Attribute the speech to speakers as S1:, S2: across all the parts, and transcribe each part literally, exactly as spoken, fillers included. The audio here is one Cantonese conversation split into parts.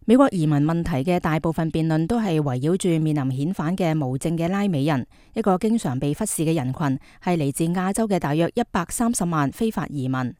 S1: 美國移民問題嘅大部分辯論都係圍繞住面臨遣返嘅無證嘅拉美人，一個經常被忽視嘅人群，係嚟自亞洲嘅大約一百三十萬非法移民。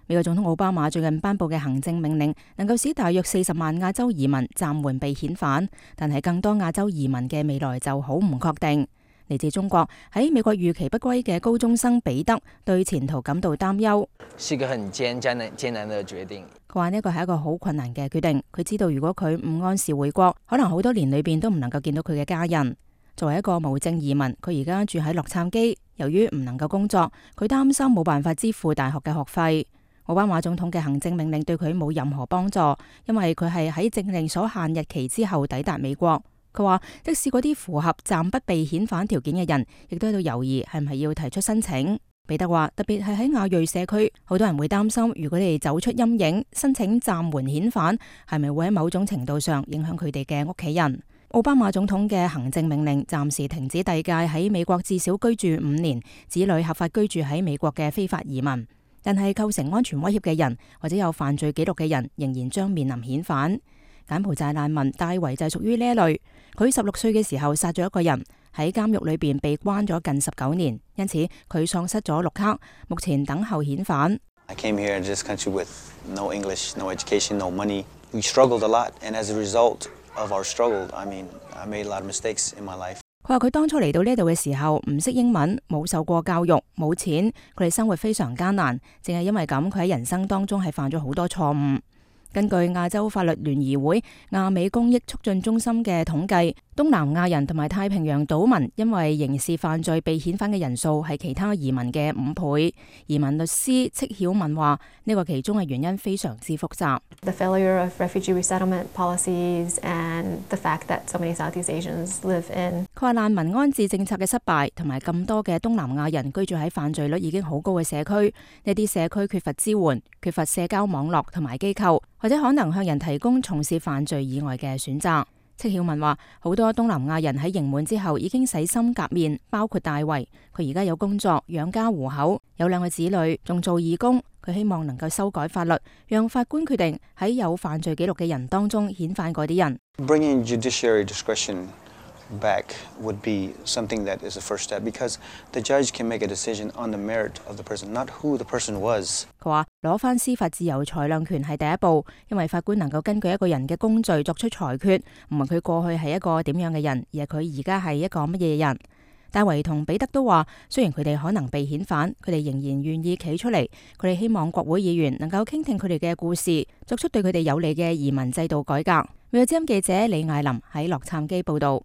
S1: 美國總統奧巴馬最近頒布嘅行政命令，能夠使大約四十萬亞洲移民暫緩被遣返，但係更多亞洲移民嘅未來就好唔確定。嚟自中國喺美國預期不歸嘅高中生彼得對前途感到擔憂。
S2: 是一個很艱艱難艱難的決定。
S1: 佢話呢個係一個好困難嘅決定。佢知道如果佢唔按時回國，可能好多年裏邊都唔能夠見到佢嘅家人。作為一個無證移民，佢而家住喺洛杉磯。由於唔能夠工作，佢擔心冇辦法支付大學嘅學費。奧巴馬總統嘅行政命令對佢冇任何幫助，因為佢係喺政令所限日期之後抵達美國。佢話即使嗰啲符合暫不被遣返條件嘅人，亦都喺度猶豫係唔係要提出申請。彼得話特別係喺亞裔社區，好多人會擔心，如果你哋走出陰影，申請暫緩遣返，係咪會喺某種程度上影響佢哋嘅屋企人？奧巴馬總統嘅行政命令暫時停止遞解喺美國至少居住五年、子女合法居住喺美國嘅非法移民，但係構成安全威脅嘅人或者有犯罪記錄嘅人，仍然將面臨遣返。柬埔寨難民戴維就係屬於呢一類，佢十六歲嘅時候殺咗一個人，喺監獄裏邊被關咗近十九年，因此佢喪失咗綠卡，目前等候遣返。
S3: I came here in this country with no English, no education, no money. We struggled a lot, and as a result of our struggle, I mean, I made a lot of mistakes in my life.
S1: 佢話佢當初嚟到呢度嘅時候唔識英文，冇受過教育，冇錢，佢哋生活非常艱難，正係因為咁，佢喺人生當中係犯咗好多錯誤。根據亞洲法律聯誼會亞美公益促進中心嘅統計，東南亞人同埋太平洋島民因為刑事犯罪被遣返嘅人數係其他移民嘅五倍。移民律師戚曉文話：呢個其中嘅原因非常之複雜。
S4: The failure of refugee resettlement policies and the fact that so many Southeast Asians live in。
S1: 佢話難民安置政策嘅失敗，同埋咁多嘅東南亞人居住喺犯罪率已經好高嘅社區，呢啲社區缺乏支援，缺乏社交網絡同埋機構，或者可能向人提供從事犯罪以外嘅選擇。戚曉文話：好多東南亞人喺刑滿之後已經洗心革面，包括大衛。佢而家有工作，養家糊口，有兩個子女，仲做義工。佢希望能夠修改法律，讓法官決定喺有犯罪記錄嘅人當中遣返嗰啲人。
S3: Bringing judiciary discretion back would be something that is a first step, because the judge can make a decision on the merit of the person, not who the person was.
S1: 佢話攞返司法自由裁量權係第一步，因為法官能夠根據一個人嘅工序作出裁決，唔係佢過去係一個點樣嘅人，而係佢而家係一個乜嘢人。戴維同彼得都話，雖然佢哋可能被遣返，佢哋仍然願意企出嚟。佢哋希望國會議員能夠傾聽佢哋嘅故事，作出對佢哋有利嘅移民制度改革。美國之音記者李艾琳喺洛杉磯報道。